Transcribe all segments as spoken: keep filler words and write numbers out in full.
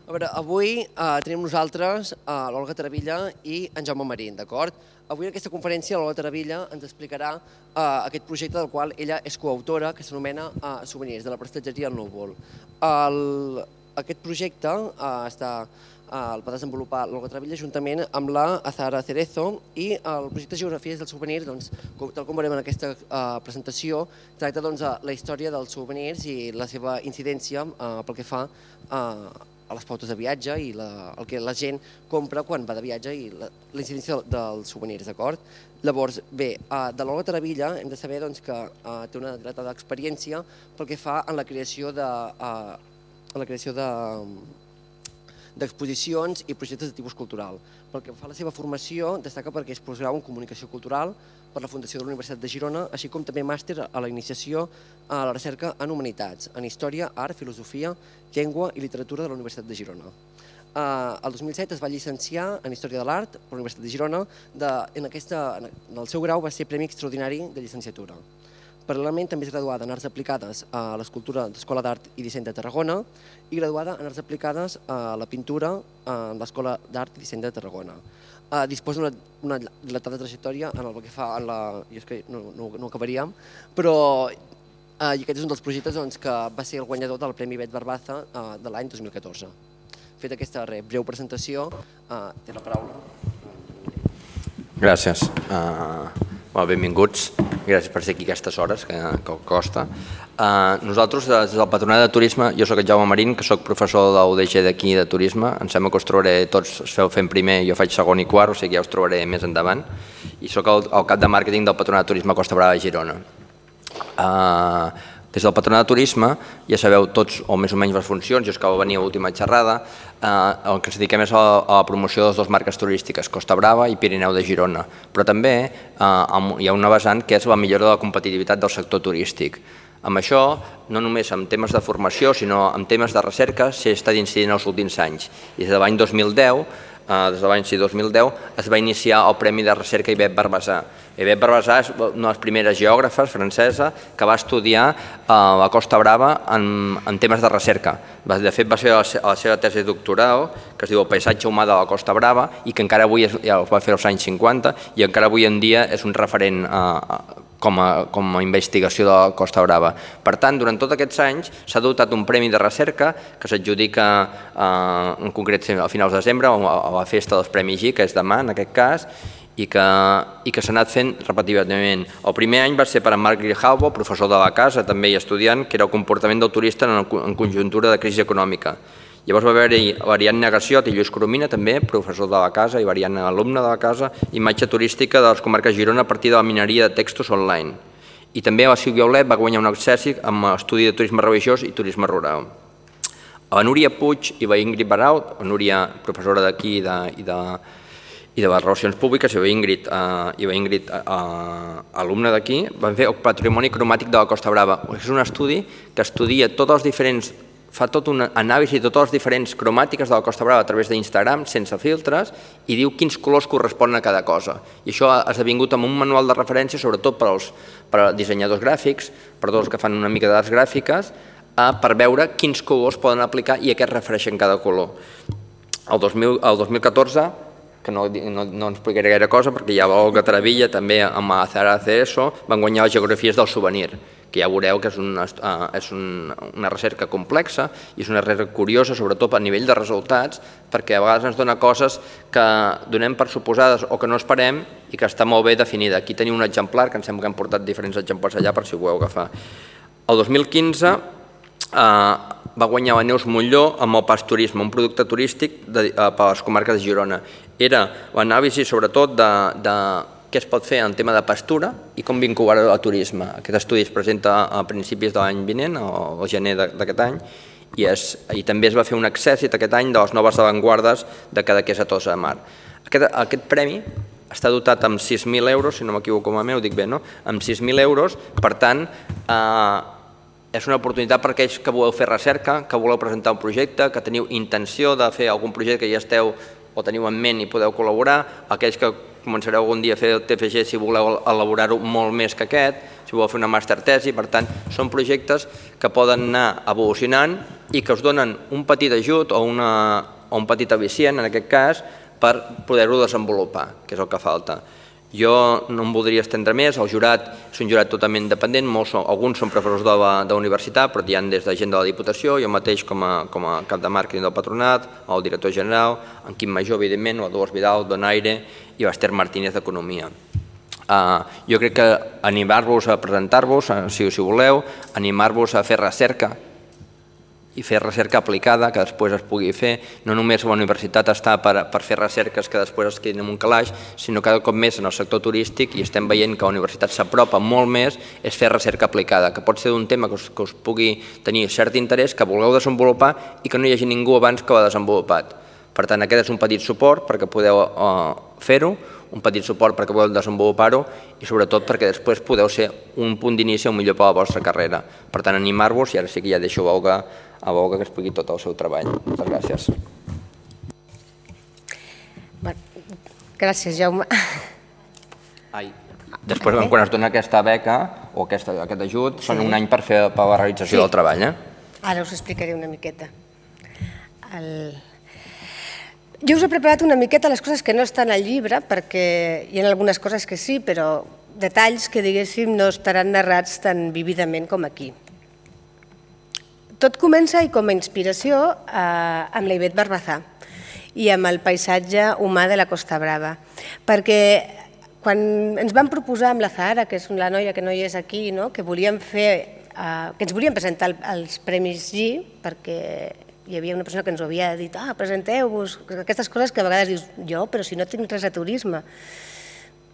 A veure, avui tenim nosaltres l'Olga Taravilla i en Jaume Marín, d'acord? Avui en aquesta conferència l'Olga Taravilla ens explicarà aquest projecte del qual ella és coautora, que s'anomena Souvenirs, de la prestatgeria El Núvol. Aquest projecte el va desenvolupar l'Olga Taravilla juntament amb la Azahara Cerezo i el projecte Geografies dels Souvenirs, tal com veurem en aquesta presentació, tracta la història dels souvenirs i la seva incidència pel que fa a les pautes de viatge i el que la gent compra quan va de viatge i la incidència dels souvenirs, d'acord? Llavors, bé, de l'Olga Taravilla hem de saber que té una dilatada experiència pel que fa en la creació de d'exposicions i projectes de tipus cultural. Pel que fa a la seva formació, destaca perquè és postgrau en Comunicació Cultural per la Fundació de la Universitat de Girona, així com també màster a la iniciació a la recerca en Humanitats, en Història, Art, Filosofia, Llengua i Literatura de la Universitat de Girona. El dos mil set es va llicenciar en Història de l'Art per la Universitat de Girona. En el seu grau va ser Premi Extraordinari de Llicenciatura. Paral·lelament també és graduada en Arts Aplicades a l'Escultura d'Escola d'Art i Disseny de Tarragona i graduada en Arts Aplicades a la Pintura a l'Escola d'Art i Disseny de Tarragona. Disposa d'una dilatada trajectòria en el que fa a la... jo és que no ho acabaríem, però aquest és un dels projectes que va ser el guanyador del Premi Bet Barbaza de l'any dos mil catorze. Feta aquesta breu presentació, té la paraula. Gràcies. Benvinguts. Gràcies per ser aquí a aquestes hores, que costa. Nosaltres, des del Patronat de Turisme, jo soc el Jaume Marín, que soc professor de l'U D G d'aquí de Turisme. Em sembla que us trobaré tots, us feu fent primer, jo faig segon i quart, o sigui que ja us trobaré més endavant. I soc el cap de màrqueting del Patronat de Turisme Costa Brava de Girona. Des del Patronat de Turisme ja sabeu tots o més o menys les funcions, jo és que va venir a l'última xerrada, el que ens dediquem és a la promoció de les dues marques turístiques, Costa Brava i Pirineu de Girona, però també hi ha una vessant que és la millora de la competitivitat del sector turístic. Amb això, no només en temes de formació, sinó en temes de recerca, s'hi està incidint els últims anys. I des de l'any dos mil deu, des de l'any dos mil deu, es va iniciar el Premi de Recerca Ivet Barbasar. Ivet Barbasar és una de les primeres geògrafes francesa que va estudiar a la Costa Brava en temes de recerca. De fet, va ser la seva tesi doctoral, que es diu El paisatge humà de la Costa Brava, i que encara avui, ja ho va fer als anys cinquanta, i encara avui en dia és un referent com a investigació de la Costa Brava. Per tant, durant tots aquests anys s'ha dotat un premi de recerca que s'adjudica en concret a finals de desembre a la festa dels Premis G, que és demà en aquest cas, i que s'ha anat fent repetitivament. El primer any va ser per en Marc Grijalvo, professor de la casa, també i estudiant, que era el comportament del turista en conjuntura de crisi econòmica. Llavors va haver-hi Variant Negaciot i Lluís Coromina, també, professor de la casa i Variant alumne de la casa, imatge turística de les comarques de Girona a partir de la mineria de textos online. I també la Sílvia Olet va guanyar un accèssit amb estudi de turisme religiós i turisme rural. La Núria Puig i la Ingrid Baraut, la Núria professora d'aquí i de i de les relacions públiques, i la Ingrid, alumne d'aquí, van fer el patrimoni cromàtic de la Costa Brava. És un estudi que estudia tots els diferents, fa tota una anàlisi de totes les diferents cromàtiques de la Costa Brava a través d'Instagram, sense filtres, i diu quins colors corresponen a cada cosa. I això ha esdevingut amb un manual de referència, sobretot per als dissenyadors gràfics, per tots els que fan una mica d'arts gràfiques, per veure quins colors poden aplicar i a què es refereixen cada color. El dos mil catorze, que no explicaré gaire cosa, perquè ja l'Olga Taravilla, també amb la Azahara Cerezo, van guanyar les geografies del souvenir, que ja veureu que és una recerca complexa i és una recerca curiosa, sobretot a nivell de resultats, perquè a vegades ens dona coses que donem per suposades o que no esperem i que està molt bé definida. Aquí teniu un exemplar, que em sembla que hem portat diferents exemplars allà per si ho voleu agafar. El dos mil quinze va guanyar la Neus Montlló amb el Pas Turisme, un producte turístic per a les comarques de Girona. Era l'anàlisi sobretot de què es pot fer en tema de pastura i com vincular-ho al turisme. Aquest estudi es presenta a principis de l'any vinent, al gener d'aquest any, i també es va fer un accèssit aquest any de les noves avantguardes de Cadaqués a Tossa de Mar. Aquest premi està dotat amb sis mil euros, si no m'equivoco malament, ho dic bé, no? Amb sis mil euros, per tant, és una oportunitat per aquells que voleu fer recerca, que voleu presentar un projecte, que teniu intenció de fer algun projecte que ja esteu o teniu en ment i podeu col·laborar, aquells que començareu algun dia a fer el T F G si voleu elaborar-ho molt més que aquest, si voleu fer una màster tesi, per tant, són projectes que poden anar evolucionant i que us donen un petit ajut o, una, o un petit al·licient, en aquest cas, per poder-ho desenvolupar, que és el que falta. Jo no em voldria estendre més, el jurat és un jurat totalment independent, molts són, alguns són professors de la, de la universitat, però hi ha des de gent de la Diputació, jo mateix com a, com a cap de màrqueting del patronat, el director general, en Quim Major, evidentment, o Dolors Vidal, Donaire i l'Ester Martínez d'Economia. Uh, jo crec que animar-vos a presentar-vos, si, si voleu, animar-vos a fer recerca, i fer recerca aplicada, que després es pugui fer. No només la universitat està per, per fer recerques que després es quedin en un calaix, sinó cada cop més en el sector turístic, i estem veient que la universitat s'apropa molt més, és fer recerca aplicada, que pot ser d'un tema que us, que us pugui tenir cert interès, que vulgueu desenvolupar i que no hi hagi ningú abans que ho ha desenvolupat. Per tant, aquest és un petit suport perquè podeu uh, fer-ho, un petit suport perquè podeu desenvolupar-ho i sobretot perquè després podeu ser un punt d'inici o millor per la vostra carrera. Per tant, animar-vos, i ara sí que ja deixo Olga a Olga que expliqui tot el seu treball. Moltes gràcies. Gràcies, Jaume. Ai. Després, quan es dona aquesta beca o aquest ajut, són un any per fer la realització del treball. Ara us explicaré una miqueta. Jo us he preparat una miqueta les coses que no estan al llibre, perquè hi ha algunes coses que sí, però detalls que, diguéssim, no estaran narrats tan vividament com aquí. Tot comença, i com a inspiració, amb la Ivet Barbazà i amb el paisatge humà de la Costa Brava. Perquè quan ens van proposar amb la Zahara, que és la noia que no hi és aquí, que volíem fer, que ens volíem presentar als Premis G, perquè hi havia una persona que ens ho havia dit, ah, presenteu-vos, aquestes coses que a vegades dius, jo, però si no tinc res a turisme.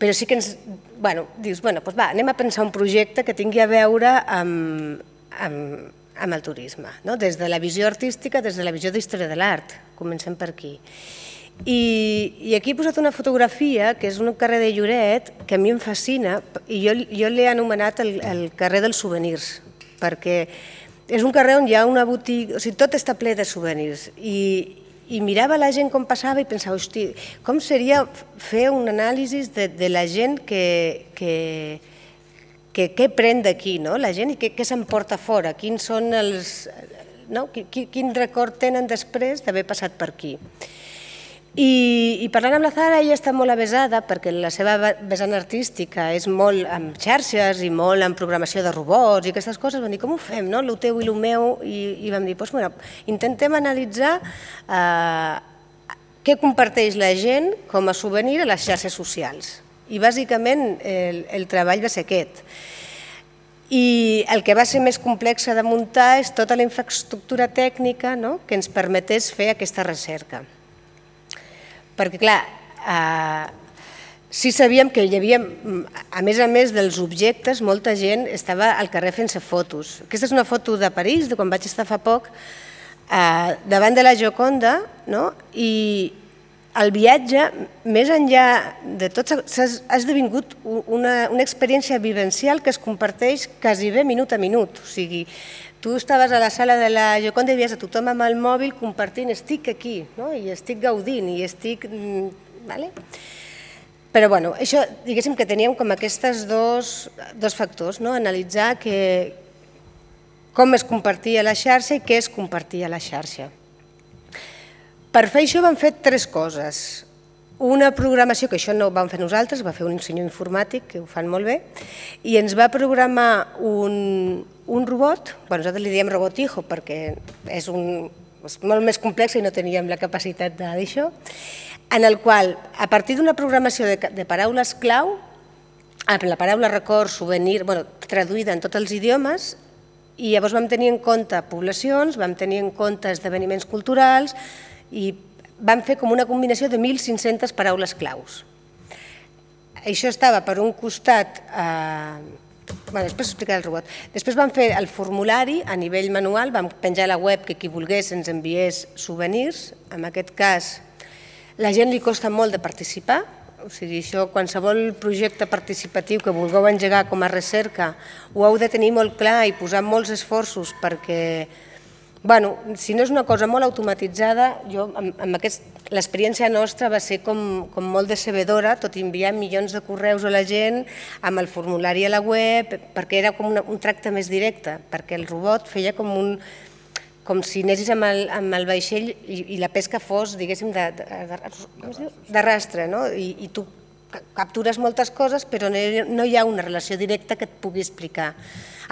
Però sí que ens, bueno, dius, bueno, doncs va, anem a pensar un projecte que tingui a veure amb, amb, amb el turisme, no? Des de la visió artística, des de la visió d'història de l'art. Comencem per aquí. I, I aquí he posat una fotografia, que és un carrer de Lloret, que a mi em fascina, i jo, jo l'he anomenat el, el carrer dels souvenirs, perquè és un carrer on hi ha una botiga, o sigui, tot està ple de souvenirs, i, i mirava la gent com passava i pensava, hosti, com seria fer un anàlisi de, de la gent que, que, que què pren d'aquí, no? La gent, i què, què s'emporta fora, quins són els, no? Quin, quin record tenen després d'haver passat per aquí. I, i parlant amb la Zahara, ella està molt avesada perquè la seva vessant artística és molt amb xarxes i molt en programació de robots i aquestes coses. Vam dir, com ho fem, no? Lo teu i lo meu, i, i vam dir, doncs, bueno, intentem analitzar eh, què comparteix la gent com a souvenir a les xarxes socials. I bàsicament el, el treball va ser aquest. I el que va ser més complex de muntar és tota la infraestructura tècnica, no?, que ens permetés fer aquesta recerca. Perquè, clar, eh, sí sabíem que hi havia, a més a més dels objectes, molta gent estava al carrer fent-se fotos. Aquesta és una foto de París, de quan vaig estar fa poc, eh, davant de la Gioconda, no?, i el viatge, més enllà de tot, s'ha esdevingut una, una experiència vivencial que es comparteix quasi bé minut a minut. O sigui, tu estaves a la sala de la Gioconda i veies a tothom amb el mòbil compartint, estic aquí, no? I estic gaudint, i estic... Vale? Però, bueno, això, diguéssim que teníem com aquests dos, dos factors, no? Analitzar que, com es compartia la xarxa i què es compartia a la xarxa. Per fer això vam fer tres coses. Una programació, que això no ho vam fer nosaltres, va fer un senyor informàtic, que ho fan molt bé, i ens va programar un, un robot, bueno, nosaltres li diem robot hijo perquè és, un, és molt més complex i no teníem la capacitat d'això, en el qual, a partir d'una programació de, de paraules clau, la paraula record, souvenir, bueno, traduïda en tots els idiomes, i llavors vam tenir en compte poblacions, vam tenir en compte esdeveniments culturals, i vam fer com una combinació de mil cinc-centes paraules claus. Això estava per un costat, eh, bueno, després explicaré el robot, després vam fer el formulari a nivell manual, vam penjar a la web que qui volgués ens enviés souvenirs, en aquest cas la gent li costa molt de participar, o sigui, això, qualsevol projecte participatiu que vulgueu engegar com a recerca ho heu de tenir molt clar i posar molts esforços perquè Bueno, si no és una cosa molt automatitzada, jo, amb aquest, l'experiència nostra va ser com, com molt decebedora, tot i enviar milions de correus a la gent, amb el formulari a la web, perquè era com una, un tracte més directe, perquè el robot feia com un com si anessis amb el, amb el vaixell i, i la pesca fos, diguéssim, de, de, de, de rastre, no? I, i tu captures moltes coses, però no hi ha una relació directa que et pugui explicar.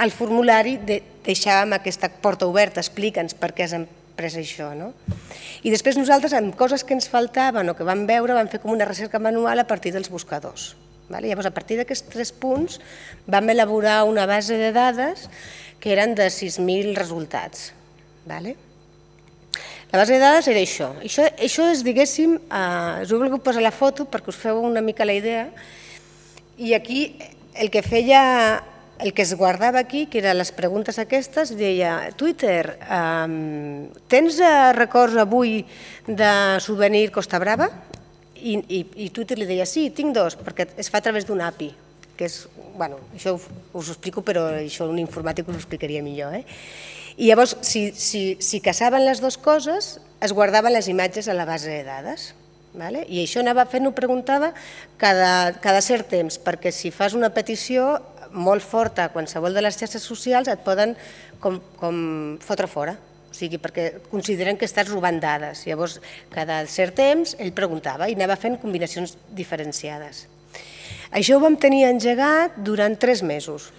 Al formulari de, deixàvem aquesta porta oberta, explica'ns per què has pres això. No? I després nosaltres, amb coses que ens faltaven o que vam veure, vam fer com una recerca manual a partir dels buscadors. Vale? Llavors, a partir d'aquests tres punts, vam elaborar una base de dades que eren de sis mil resultats. Vale? La base de dades era això. Això, això és, diguéssim, eh, us he volgut posar la foto perquè us feu una mica la idea, i aquí el que feia, el que es guardava aquí, que eren les preguntes aquestes, deia, Twitter, eh, tens records avui de souvenir Costa Brava? I, i, i Twitter li deia, sí, tinc dos, perquè es fa a través d'un A P I, que és, bueno, això us ho explico, però això un informàtic us ho explicaria millor, eh? I llavors, si, si, si caçaven les dues coses, es guardaven les imatges a la base de dades. Vale? I això anava fent, ho preguntava, cada, cada cert temps, perquè si fas una petició molt forta a qualsevol de les xarxes socials et poden com, com fotre fora, o sigui, perquè consideren que estàs robant dades. Llavors, cada cert temps, ell preguntava i anava fent combinacions diferenciades. Això ho vam tenir engegat durant tres mesos.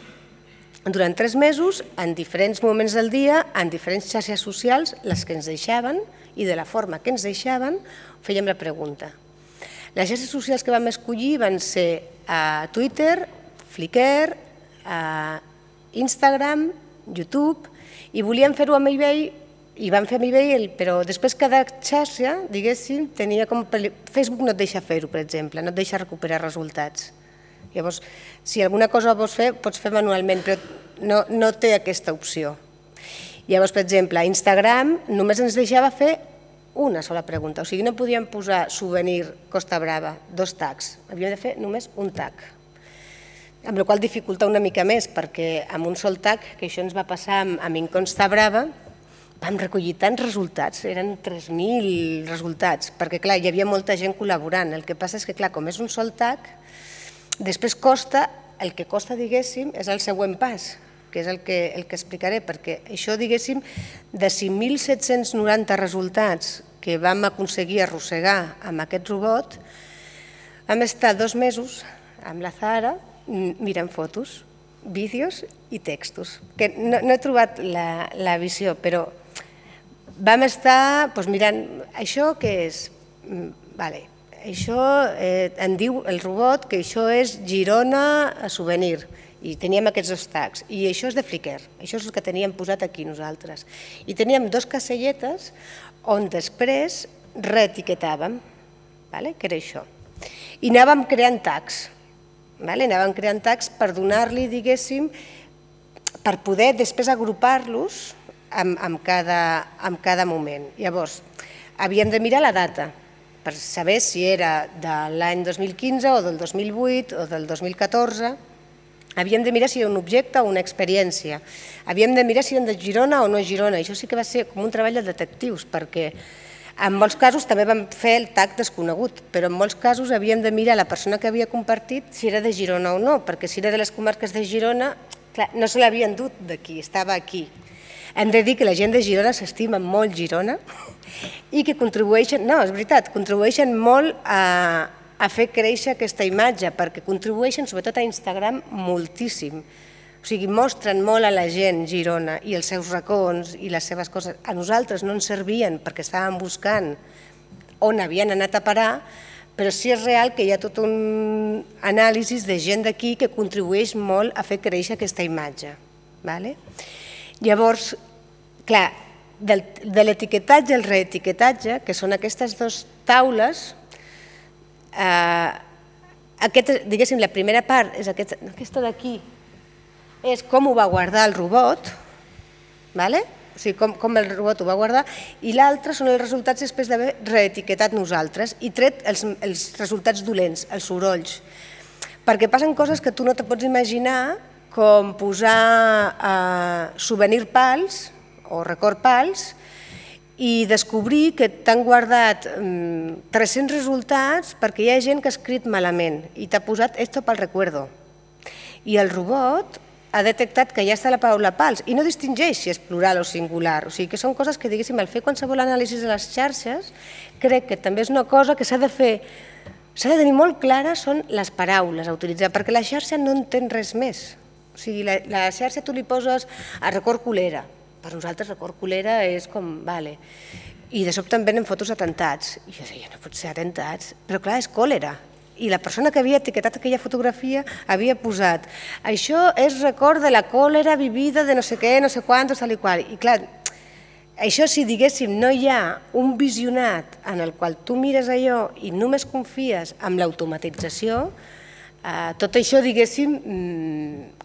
Durant tres mesos, en diferents moments del dia, en diferents xarxes socials, les que ens deixaven i de la forma que ens deixaven, fèiem la pregunta. Les xarxes socials que vam escollir van ser a Twitter, Flickr, a Instagram, YouTube, i volíem fer-ho amb eBay, i vam fer amb eBay, però després cada xarxa, diguéssim, tenia com... Facebook no et deixa fer-ho, per exemple, no et deixa recuperar resultats. Llavors, si alguna cosa vols fer, pots fer manualment, però no, no té aquesta opció. Llavors, per exemple, a Instagram només ens deixava fer una sola pregunta, o sigui, no podíem posar souvenir Costa Brava, dos tags, havíem de fer només un tag. Amb la qual cosa dificulta una mica més, perquè amb un sol tag, que això ens va passar amb, amb Costa Brava, vam recollir tants resultats, eren tres mil resultats, perquè clar, hi havia molta gent col·laborant. El que passa és que, clar, com és un sol tag, després costa, el que costa, diguéssim, és el següent pas, que és el que, el que explicaré, perquè això, diguéssim, de cinc mil set-cents noranta resultats que vam aconseguir arrossegar amb aquest robot, vam estar dos mesos amb la Zahara mirant fotos, vídeos i textos. Que no, no he trobat la, la visió, però vam estar doncs, mirant això que és... Vale. Això eh, en diu el robot que això és Girona a souvenir i teníem aquests dos tags i això és de Flickr, això és el que teníem posat aquí nosaltres i teníem dos caselletes on després reetiquetàvem, vale? Que era això, i anàvem creant tags, vale? Anàvem creant tags per donar-li, diguéssim, per poder després agrupar-los amb, amb, cada, amb cada moment. Llavors, havíem de mirar la data, per saber si era de l'any dos mil quinze o del dos mil vuit o del dos mil catorze. Havíem de mirar si era un objecte o una experiència. Havíem de mirar si eren de Girona o no Girona. Això sí que va ser com un treball de detectius, perquè en molts casos també vam fer el tag desconegut, però en molts casos havíem de mirar la persona que havia compartit si era de Girona o no, perquè si era de les comarques de Girona, clar, no se l'havien dut d'aquí, estava aquí. Hem de dir que la gent de Girona s'estima molt Girona i que contribueixen, no, és veritat, contribueixen molt a, a fer créixer aquesta imatge, perquè contribueixen, sobretot a Instagram, moltíssim. O sigui, mostren molt a la gent Girona i els seus racons i les seves coses. A nosaltres no ens servien perquè estàvem buscant on havien anat a parar, però sí és real que hi ha tot un anàlisi de gent d'aquí que contribueix molt a fer créixer aquesta imatge. Llavors, clar, de l'etiquetatge i el reetiquetatge, que són aquestes dues taules, diguéssim, la primera part és aquesta d'aquí, és com ho va guardar el robot, o sigui, com el robot ho va guardar, i l'altre són els resultats després d'haver reetiquetat nosaltres i tret els resultats dolents, els sorolls, perquè passen coses que tu no te pots imaginar, com posar souvenir pals o Record Pals, i descobrir que t'han guardat tres-cents resultats perquè hi ha gent que ha escrit malament i t'ha posat esto pel recuerdo. I el robot ha detectat que ja està la paraula pals i no distingeix si és plural o singular. O sigui que són coses que, diguéssim, al fer qualsevol anàlisi de les xarxes, crec que també és una cosa que s'ha de fer, s'ha de tenir molt clara, són les paraules a utilitzar, perquè la xarxa no entén res més. O sigui, la xarxa tu li poses a Record Colera. Per nosaltres Record Colera és com, vale. I de sobte em venen fotos d'atemptats. I jo deia, no pot ser atemptats. Però clar, és còlera. I la persona que havia etiquetat aquella fotografia havia posat això és record de la còlera vivida de no sé què, no sé quantos, tal i qual. I clar, això si diguéssim no hi ha un visionat en el qual tu mires allò i només confies en l'automatització, tot això, diguéssim,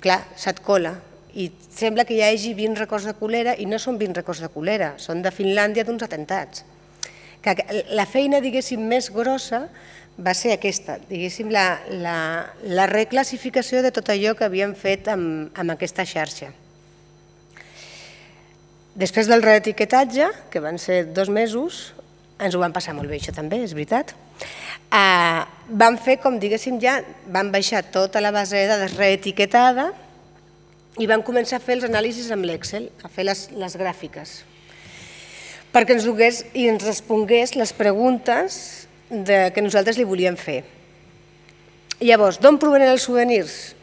clar, se't cola. I sembla que hi hagi vint records de còlera i no són vint records de còlera, són de Finlàndia d'uns atemptats. La feina, diguéssim, més grossa va ser aquesta, diguéssim, la reclassificació de tot allò que havíem fet amb aquesta xarxa. Després del reetiquetatge, que van ser dos mesos, ens ho van passar molt bé, això també, és veritat, vam fer, com diguéssim ja, vam baixar tota la base de dades reetiquetada i vam començar a fer els anàlisis amb l'Excel, a fer les gràfiques, perquè ens donés i ens respongués les preguntes que nosaltres li volíem fer. Llavors, d'on provenen els souvenirs?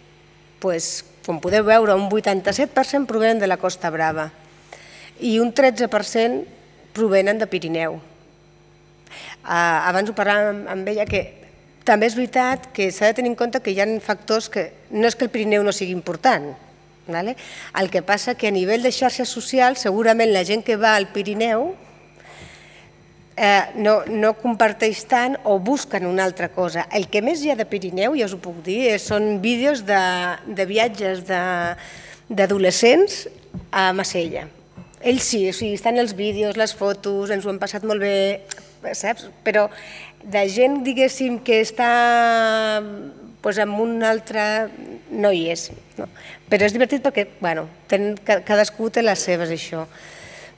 Com podeu veure, un vuitanta-set per cent provenen de la Costa Brava i un tretze per cent provenen de Pirineu. Abans ho parlàvem amb ella, que també és veritat que s'ha de tenir en compte que hi ha factors que no és que el Pirineu no sigui important. El que passa que a nivell de xarxes socials segurament la gent que va al Pirineu no comparteix tant o busquen una altra cosa. El que més hi ha de Pirineu, ja us ho puc dir, són vídeos de viatges d'adolescents a Massella. Ells sí, estan els vídeos, les fotos, ens ho hem passat molt bé, saps? Però de gent, diguéssim, que està en un altre... no hi és. Però és divertit perquè, bueno, cadascú té les seves, això.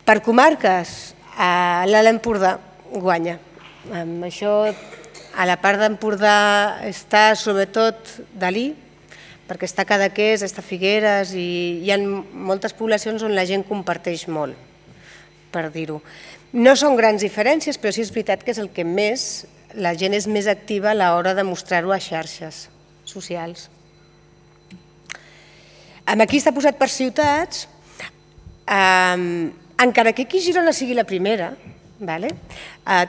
Per comarques, l'Alt Empordà guanya. Això, a la part d'Empordà està sobretot Dalí, perquè està Cadaqués, està Figueres i hi ha moltes poblacions on la gent comparteix molt, per dir-ho. No són grans diferències, però sí és veritat que és el que més, la gent és més activa a l'hora de mostrar-ho a xarxes socials. Aquí està posat per ciutats, encara que aquí Girona sigui la primera,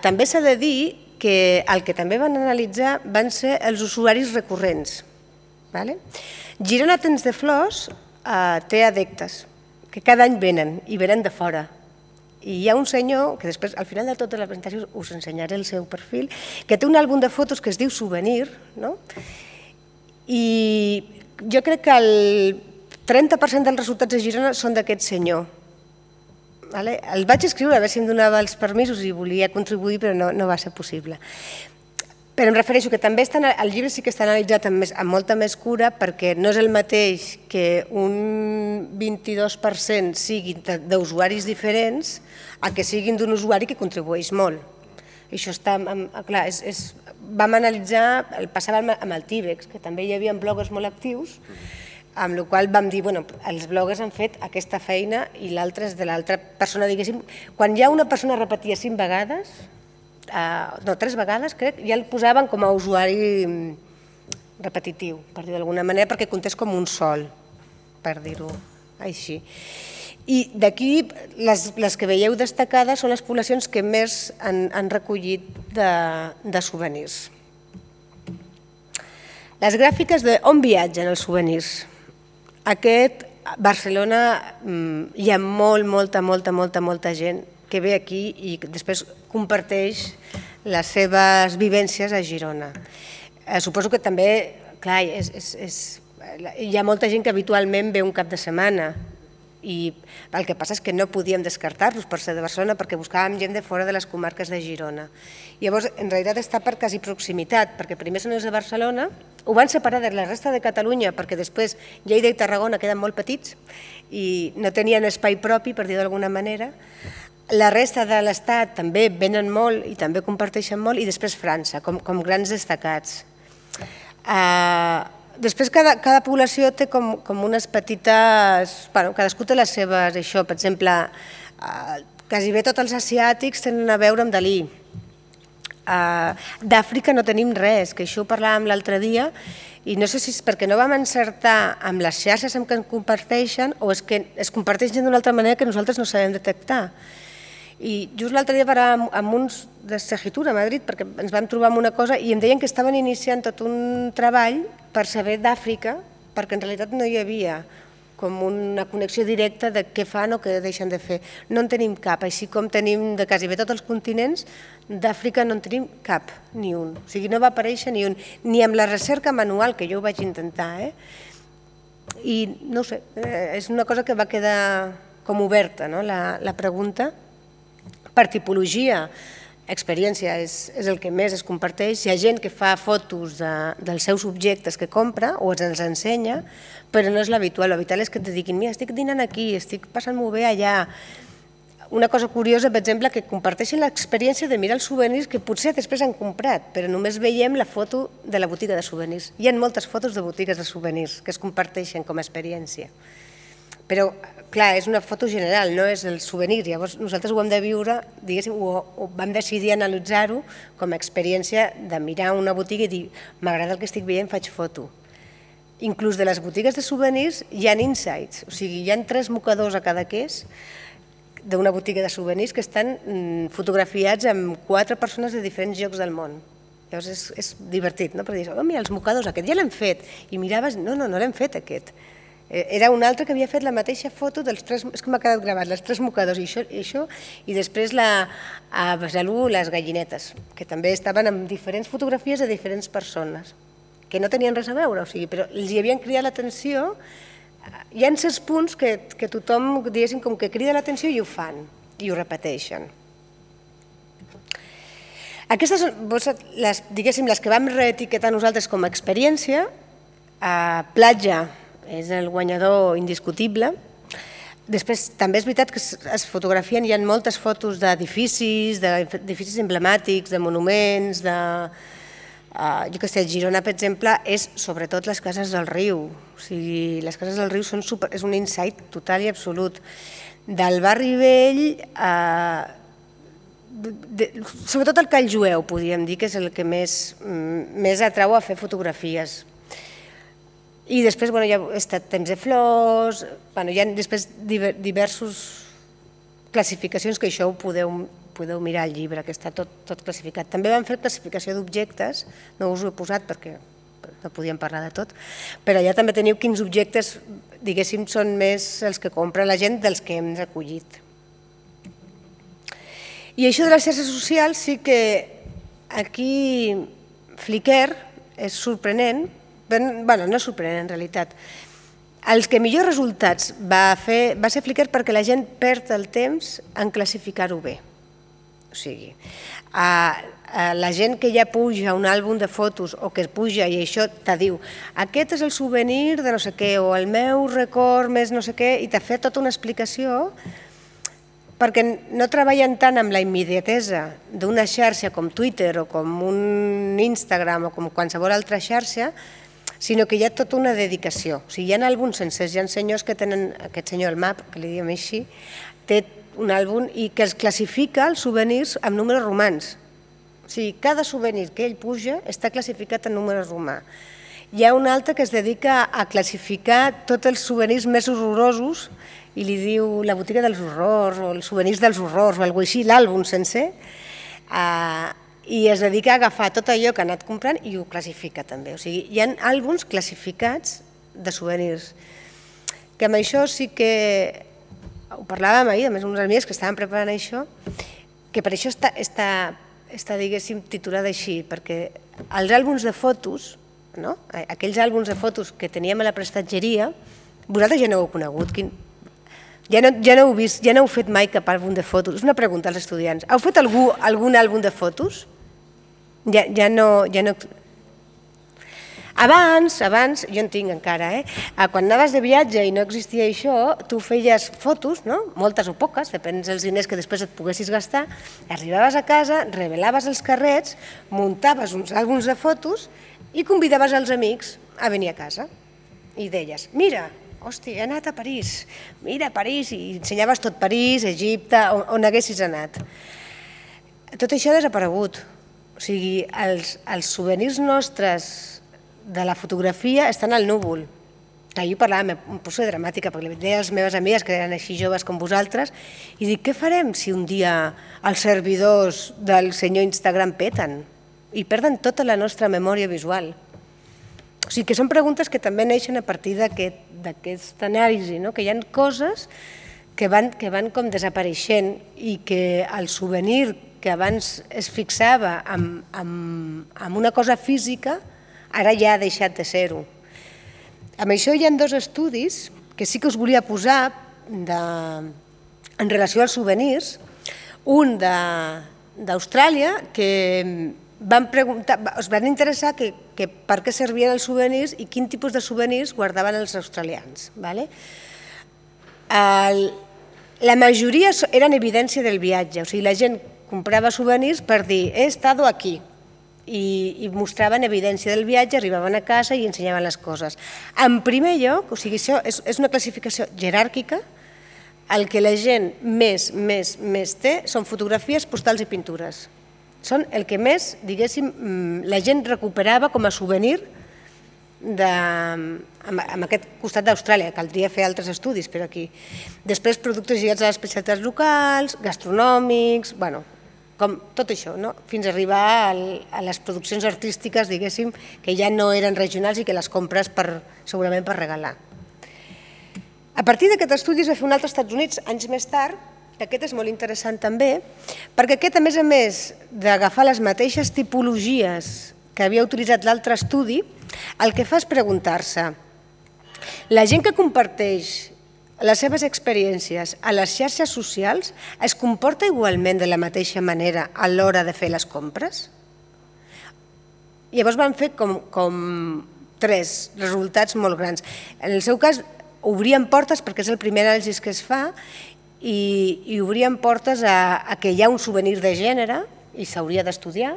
també s'ha de dir que el que també van analitzar van ser els usuaris recurrents. Girona Temps de Flors té adeptes, que cada any venen, i venen de fora. I hi ha un senyor, que després, al final de tota la presentació, us ensenyaré el seu perfil, que té un àlbum de fotos que es diu Souvenir, i jo crec que el trenta per cent dels resultats de Girona són d'aquest senyor. El vaig escriure a veure si em donava els permisos i volia contribuir, però no va ser possible. Però em refereixo que també el llibre sí que està analitzat amb molta més cura, perquè no és el mateix que un vint-i-dos per cent siguin d'usuaris diferents a que siguin d'un usuari que contribueix molt. Això està, clar, vam analitzar, el passàvem amb el Tíbex, que també hi havia bloggers molt actius, amb la qual vam dir, bueno, els bloggers han fet aquesta feina i l'altra és de l'altra persona, diguéssim. Quan ja una persona repetia cinc vegades, no, tres vegades, crec, ja el posaven com a usuari repetitiu, per dir d'alguna manera, perquè comptés com un sol, per dir-ho així. I d'aquí, les que veieu destacades són les poblacions que més han recollit de souvenirs. Les gràfiques d'on viatgen els souvenirs. Aquest, a Barcelona, hi ha molt, molta, molta, molta, molta gent que ve aquí i després comparteix les seves vivències a Girona. Suposo que també, clar, hi ha molta gent que habitualment ve un cap de setmana i el que passa és que no podíem descartar-los per ser de Barcelona perquè buscàvem gent de fora de les comarques de Girona. Llavors, en realitat està per quasi proximitat, perquè primer són els de Barcelona, ho van separar de la resta de Catalunya perquè després Lleida i Tarragona queden molt petits i no tenien espai propi, per dir d'alguna manera. La resta de l'Estat també venen molt i també comparteixen molt, i després França, com, com grans destacats. Uh, Després, cada, cada població té com, com unes petites... Bueno, cadascú té les seves, això, per exemple, eh, quasi bé tots els asiàtics tenen a veure amb Dalí. Eh, D'Àfrica no tenim res, que això ho parlàvem l'altre dia, i no sé si és perquè no vam encertar amb les xarxes amb què ens comparteixen o és que es comparteixen d'una altra manera que nosaltres no sabem detectar. I just l'altre dia parlàvem amb uns de Segitura a Madrid perquè ens vam trobar amb una cosa i em deien que estaven iniciant tot un treball per saber d'Àfrica, perquè en realitat no hi havia com una connexió directa de què fan o què deixen de fer. No en tenim cap, així com tenim de quasi bé tots els continents, d'Àfrica no en tenim cap, ni un. O sigui, no va aparèixer ni un, ni amb la recerca manual, que jo ho vaig intentar. Eh? I no ho sé, és una cosa que va quedar com oberta, no? la, la pregunta. Per tipologia, experiència és, és el que més es comparteix. Hi ha gent que fa fotos de, dels seus objectes que compra o ens ensenya, però no és l'habitual. L'habitual és que et diguin, mira, estic dinant aquí, estic passant-m'ho bé allà. Una cosa curiosa, per exemple, que comparteixen l'experiència de mirar els souvenirs que potser després han comprat, però només veiem la foto de la botiga de souvenirs. Hi ha moltes fotos de botigues de souvenirs que es comparteixen com a experiència. Però, clar, és una foto general, no és el souvenir. Llavors, nosaltres ho hem de viure, diguéssim, o, o vam decidir analitzar-ho com a experiència de mirar una botiga i dir, m'agrada el que estic veient, faig foto. Inclús de les botigues de souvenirs hi ha insights, o sigui, hi ha tres mocadors a cada queix d'una botiga de souvenirs que estan fotografiats amb quatre persones de diferents llocs del món. Llavors és, és divertit, no? Perquè dius, oh, mira, els mocadors, aquest ja l'hem fet. I miraves, no, no, no l'hem fet aquest. Era un altre que havia fet la mateixa foto dels tres, és que m'ha quedat gravat, els tres mocadors i això, i, això, i després la, a Besalú les gallinetes, que també estaven amb diferents fotografies de diferents persones, que no tenien res a veure, o sigui, però els hi havien cridat l'atenció. Hi ha certs punts que, que tothom, diguéssim, com que crida l'atenció i ho fan, i ho repeteixen. Aquestes són, les, diguéssim, les que vam reetiquetar nosaltres com a experiència. A Platja és el guanyador indiscutible. Després, també és veritat que es fotografien, hi ha moltes fotos d'edificis, d'edificis emblemàtics, de monuments, de... Jo què sé, Girona, per exemple, és sobretot les cases del riu. O sigui, les cases del riu són super, és un insight total i absolut. Del barri vell, sobretot el Call Jueu, podríem dir, que és el que més atrau a fer fotografies. I després hi ha estat Temps de Flors, hi ha després diverses classificacions que això ho podeu mirar al llibre, que està tot classificat. També vam fer classificació d'objectes, no us ho he posat perquè no podíem parlar de tot, però allà també teniu quins objectes, diguéssim, són més els que compra la gent dels que hem recollit. I això de les xarxes socials sí que aquí Flickr és sorprenent, bueno, no és sorprenent en realitat. Els que millors resultats va fer va ser Flickr perquè la gent perd el temps en classificar-ho bé. O sigui, la gent que ja puja un àlbum de fotos o que puja i això te diu aquest és el souvenir de no sé què o el meu record més no sé què i t'ha fet tota una explicació perquè no treballen tant amb la immediatesa d'una xarxa com Twitter o com un Instagram o com qualsevol altra xarxa, sinó que hi ha tota una dedicació. O sigui, hi ha àlbums sencers, hi ha senyors que tenen, aquest senyor el Map, que li diem així, té un àlbum i que es classifica els souvenirs amb números romans. O sigui, cada souvenir que ell puja està classificat en números romà. Hi ha un altre que es dedica a classificar tots els souvenirs més horrorosos i li diu la botiga dels horrors o els souvenirs dels horrors o alguna cosa així, l'àlbum sencer, i es dedica a agafar tot allò que ha anat comprant i ho classifica també. O sigui, hi ha àlbums classificats de souvenirs, que amb això sí que ho parlàvem ahir, a més uns amics que estaven preparant això, que per això està, diguéssim, titulada així, perquè els àlbums de fotos, aquells àlbums de fotos que teníem a la prestatgeria, vosaltres ja no ho heu conegut. O Ja no, ja no heu vist, ja no heu fet mai cap àlbum de fotos. És una pregunta als estudiants. Heu fet algú, algun àlbum de fotos? Ja, ja no... Ja no... Abans, abans, jo en tinc encara, eh? Quan anaves de viatge i no existia això, tu feies fotos, no? Moltes o poques, depèn dels diners que després et poguessis gastar, arribaves a casa, revelaves els carrets, muntaves uns àlbums de fotos i convidaves els amics a venir a casa. I deies, mira, hòstia, he anat a París, mira París, i ensenyaves tot París, Egipte, on haguessis anat. Tot això ha desaparegut. O sigui, els souvenirs nostres de la fotografia estan al núvol. Ahir parlàvem, em poso dramàtica, perquè li deia a les meves amigues, que eren així joves com vosaltres, i dic, què farem si un dia els servidors del senyor Instagram peten i perden tota la nostra memòria visual? O sigui, que són preguntes que també neixen a partir d'aquesta anàlisi, que hi ha coses que van com desapareixent i que el souvenir que abans es fixava en una cosa física ara ja ha deixat de ser-ho. Amb això hi ha dos estudis que sí que us volia posar en relació als souvenirs. Un d'Austràlia, que es van interessar per què servien els souvenirs i quin tipus de souvenirs guardaven els australians. La majoria eren evidència del viatge, o sigui, la gent comprava souvenirs per dir he estat aquí i mostraven evidència del viatge, arribaven a casa i ensenyaven les coses. En primer lloc, o sigui, això és una classificació jeràrquica, el que la gent més, més, més té són fotografies, postals i pintures. Són el que més, diguéssim, la gent recuperava com a souvenir en aquest costat d'Austràlia. Caldria fer altres estudis, però aquí. Després, productes lligats a les especialitats locals, gastronòmics, bueno, com tot això, fins a arribar a les produccions artístiques, diguéssim, que ja no eren regionals i que les compres segurament per regalar. A partir d'aquest estudi es va fer un altre als Estats Units, anys més tard, que aquest és molt interessant també, perquè aquest, a més a més d'agafar les mateixes tipologies que havia utilitzat l'altre estudi, el que fa és preguntar-se, la gent que comparteix les seves experiències a les xarxes socials es comporta igualment de la mateixa manera a l'hora de fer les compres? Llavors van fer com tres resultats molt grans. En el seu cas, obrien portes, perquè és el primer anàlisi que es fa, i obrien portes a que hi ha un souvenir de gènere i s'hauria d'estudiar,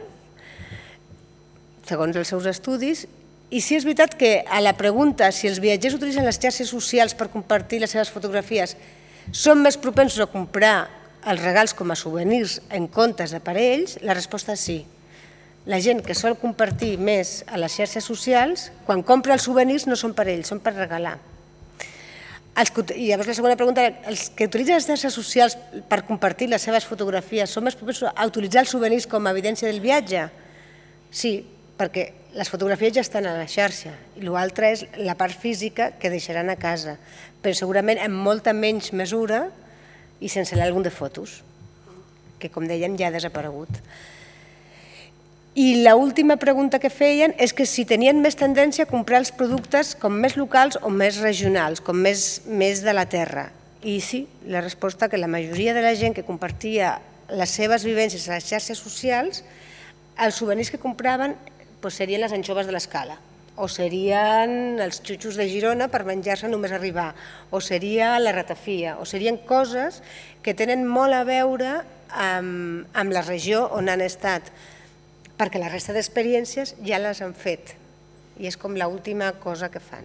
segons els seus estudis. I sí és veritat que a la pregunta si els viatgers utilitzen les xarxes socials per compartir les seves fotografies són més propensos a comprar els regals com a souvenirs en comptes de per a ells, la resposta és sí. La gent que sol compartir més a les xarxes socials, quan compra els souvenirs no són per a ells, són per regalar. I llavors la segona pregunta, els que utilitzen les xarxes socials per compartir les seves fotografies són més propensos a utilitzar els souvenirs com a evidència del viatge? Sí, perquè les fotografies ja estan a la xarxa i l'altre és la part física que deixaran a casa, però segurament en molta menys mesura i sense l'àlbum de fotos, que com dèiem ja ha desaparegut. I l'última pregunta que feien és que si tenien més tendència a comprar els productes com més locals o més regionals, com més de la terra. I sí, la resposta que la majoria de la gent que compartia les seves vivències a les xarxes socials, els souvenirs que compraven serien les anxoves de l'Escala, o serien els xutxos de Girona per menjar-se només arribar, o seria la ratafia, o serien coses que tenen molt a veure amb la regió on han estat, perquè la resta d'experiències ja les han fet, i és com l'última cosa que fan.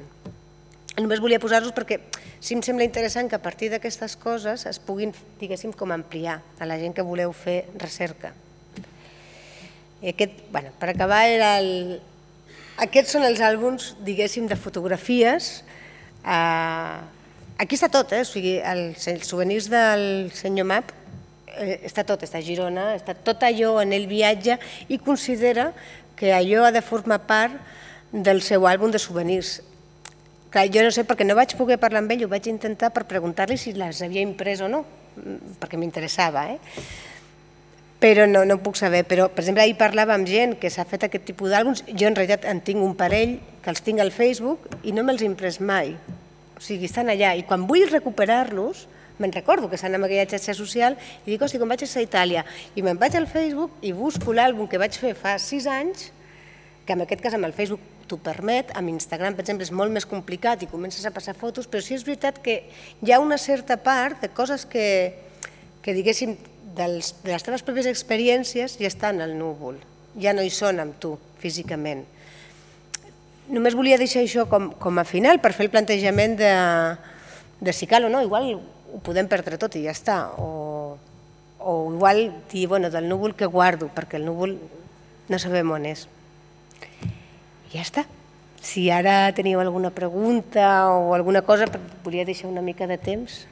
Només volia posar-los perquè sí em sembla interessant que a partir d'aquestes coses es puguin, diguéssim, com ampliar a la gent que voleu fer recerca. Per acabar, aquests són els àlbums, diguéssim, de fotografies. Aquí està tot, o sigui, els souvenirs del senyor Map, està tot, està a Girona, està tot allò en el viatge i considera que allò ha de formar part del seu àlbum de souvenirs. Jo no sé, perquè no vaig poder parlar amb ell, ho vaig intentar per preguntar-li si les havia imprès o no, perquè m'interessava, eh? Però no ho puc saber. Però, per exemple, ahir parlava amb gent que s'ha fet aquest tipus d'àlbums. Jo, en realitat, en tinc un parell que els tinc al Facebook i no me'ls he imprès mai. O sigui, estan allà. I quan vull recuperar-los, me'n recordo que estan en aquella xarxa social i dic, hosti, com vaig estar a Itàlia? I me'n vaig al Facebook i busco l'àlbum que vaig fer fa sis anys, que en aquest cas amb el Facebook t'ho permet, amb Instagram, per exemple, és molt més complicat i comences a passar fotos, però sí és veritat que hi ha una certa part de coses que, que diguéssim, dels, de les teves pròpies experiències ja estan al núvol, ja no hi són amb tu, físicament. Només volia deixar això com, com a final per fer el plantejament de, de si cal o no, igual ho podem perdre tot i ja està, o, o igual dir, bueno, del núvol que guardo, perquè el núvol no sabem on és. I ja està. Si ara teniu alguna pregunta o alguna cosa, volia deixar una mica de temps.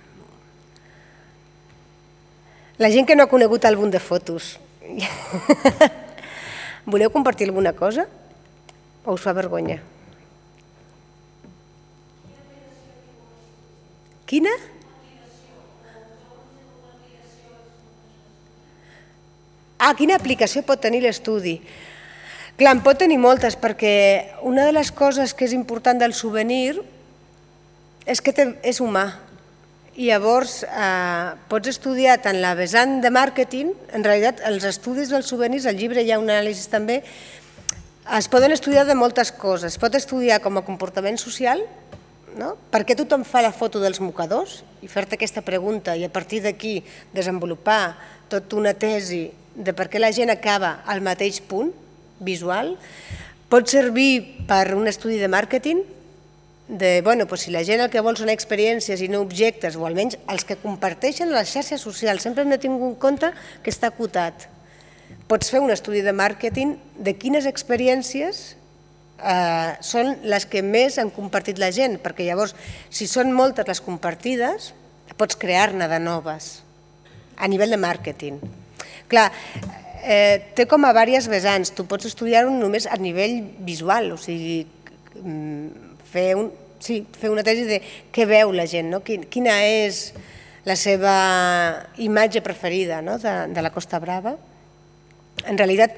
La gent que no ha conegut àlbum de fotos, voleu compartir alguna cosa o us fa vergonya? Quina? Ah, quina aplicació pot tenir l'estudi? Clar, en pot tenir moltes, perquè una de les coses que és important del souvenir és que és humà. I llavors pots estudiar tant la vessant de màrqueting, en realitat els estudis dels souvenirs, al llibre hi ha un anàlisi també, es poden estudiar de moltes coses. Es pot estudiar com a comportament social, per què tothom fa la foto dels mocadors, i fer-te aquesta pregunta i a partir d'aquí desenvolupar tota una tesi de per què la gent acaba al mateix punt visual. Pot servir per un estudi de màrqueting, de, bueno, si la gent el que vol són experiències i no objectes, o almenys els que comparteixen a les xarxes socials, sempre hem de tenir en compte que està acotat. Pots fer un estudi de màrqueting de quines experiències són les que més han compartit la gent, perquè llavors, si són moltes les compartides, pots crear-ne de noves, a nivell de màrqueting. Clar, té com a diverses vessants, tu pots estudiar-ho només a nivell visual, o sigui, fer una tesi de què veu la gent, quina és la seva imatge preferida de la Costa Brava. En realitat,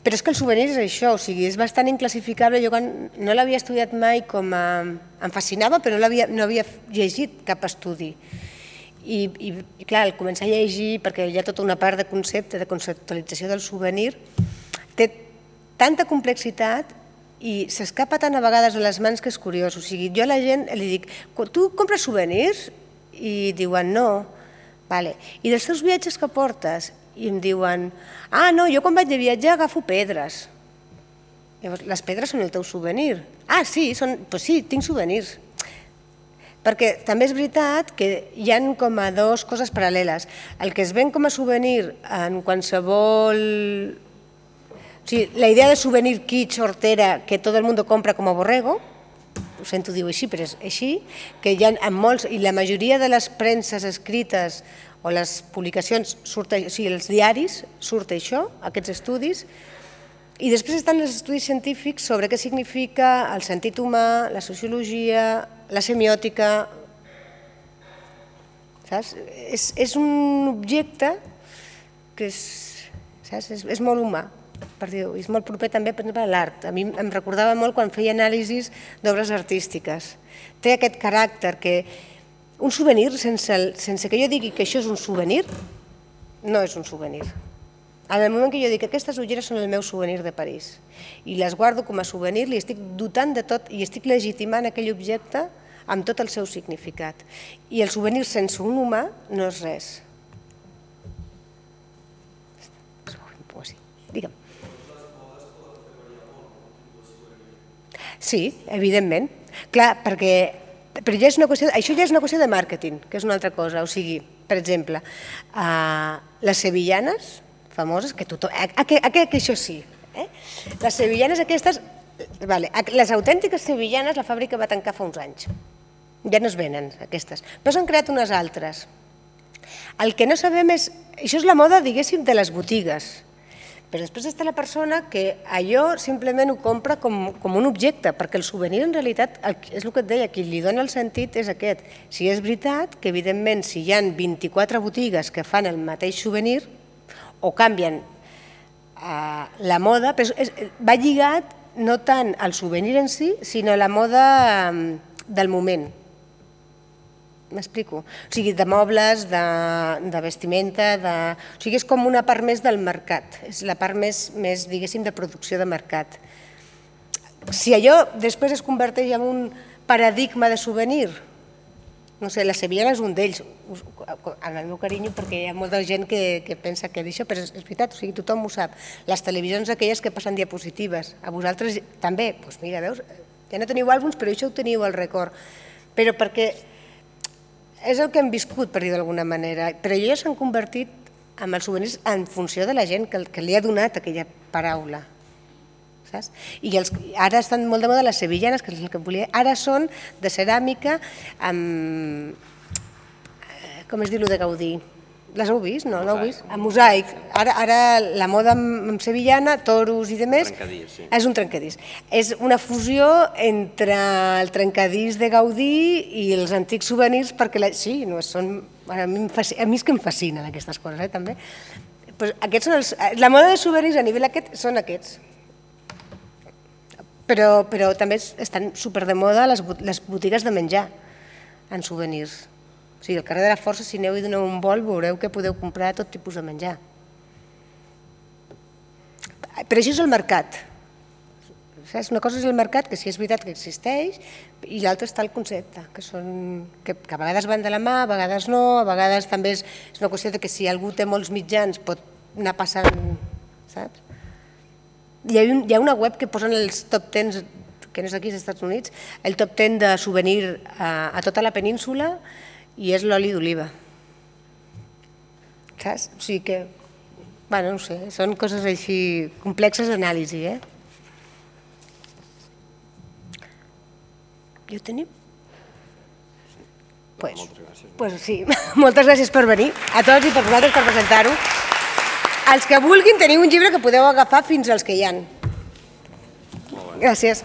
però és que el souvenir és això, o sigui, és bastant inclassificable. Jo no l'havia estudiat mai com a... Em fascinava, però no havia llegit cap estudi. I, clar, al començar a llegir, perquè hi ha tota una part de concepte, de conceptualització del souvenir, té tanta complexitat i s'escapa tant a vegades a les mans que és curiós. O sigui, jo a la gent li dic, tu compres souvenirs? I diuen, no. I dels teus viatges que portes? I em diuen, ah, no, jo quan vaig de viatge agafo pedres. Llavors, les pedres són el teu souvenir. Ah, sí, doncs sí, tinc souvenirs. Perquè també és veritat que hi ha com a dues coses paral·leles. El que es ven com a souvenir en qualsevol... O sigui, la idea de souvenir kitsch, hortera, que tot el món compra com a borrego, ho sento dir-ho així, però és així, que hi ha en molts, i la majoria de les premses escrites o les publicacions, o sigui, els diaris, surt això, aquests estudis, i després estan els estudis científics sobre què significa el sentit humà, la sociologia, la semiòtica. És un objecte que és molt humà, és molt proper també a l'art. A mi em recordava molt quan feia anàlisis d'obres artístiques. Té aquest caràcter que un souvenir, sense que jo digui que això és un souvenir, no és un souvenir. En el moment que jo dic que aquestes ulleres són el meu souvenir de París i les guardo com a souvenir, li estic dotant de tot i estic legitimant aquell objecte amb tot el seu significat. I el souvenir sense un humà no és res. Digue'm. Sí, evidentment. Clar, perquè això ja és una qüestió de màrqueting, que és una altra cosa. O sigui, per exemple, les sevillanes famoses, que tothom... Que això sí. Les sevillanes aquestes... Les autèntiques sevillanes la fàbrica va tancar fa uns anys. Ja no es venen, aquestes. Però s'han creat unes altres. El que no sabem és... Això és la moda, diguéssim, de les botigues. Però després està la persona que allò simplement ho compra com un objecte, perquè el souvenir en realitat, és el que et deia, qui li dona el sentit és aquest. Si és veritat que, evidentment, si hi ha vint-i-quatre botigues que fan el mateix souvenir, o canvien la moda, va lligat no tant al souvenir en si, sinó a la moda del moment. m'explico? O sigui, de mobles, de vestimenta, o sigui, és com una part més del mercat, és la part més, diguéssim, de producció de mercat. Si allò després es converteix en un paradigma de souvenir, no sé, la sevillana és un d'ells, en el meu carinyo, perquè hi ha molta gent que pensa que d'això, però és veritat, o sigui, tothom ho sap. Les televisions aquelles que passen diapositives, a vosaltres també, doncs mira, veus, ja no teniu àlbums, però això ho teniu al record. Però perquè és el que hem viscut, per dir d'alguna manera, però ja s'han convertit en els souvenirs en funció de la gent que li ha donat aquella paraula. I ara estan molt de moda les sevillanes, que és el que volia. Ara són de ceràmica amb... com es diu, de Gaudí? Les heu vist? No, no heu vist? Amb mosaic. Ara la moda amb sevillana, toros i demés, és un trencadís. És una fusió entre el trencadís de Gaudí i els antics souvenirs, perquè sí, a mi és que em fascinen aquestes coses, també. La moda de souvenirs a nivell aquest són aquests. Però també estan super de moda les botigues de menjar en souvenirs. O sigui, al carrer de la Força, si aneu i doneu un vol, veureu que podeu comprar tot tipus de menjar. Però això és el mercat. Una cosa és el mercat, que sí és veritat que existeix, i l'altra està el concepte, que a vegades van de la mà, a vegades no, a vegades també és una qüestió que si algú té molts mitjans pot anar passant, saps? Hi ha una web que posen els top deu, que no és aquí, als Estats Units, el top deu de souvenir a tota la península i és l'oli d'oliva. Saps? O sigui que, bueno, no sé, són coses així complexes d'anàlisi, eh? Ja ho tenim? Doncs sí, moltes gràcies per venir, a tots i per vosaltres per presentar-ho. Els que vulguin teniu un llibre que podeu agafar fins als que hi ha. Gràcies.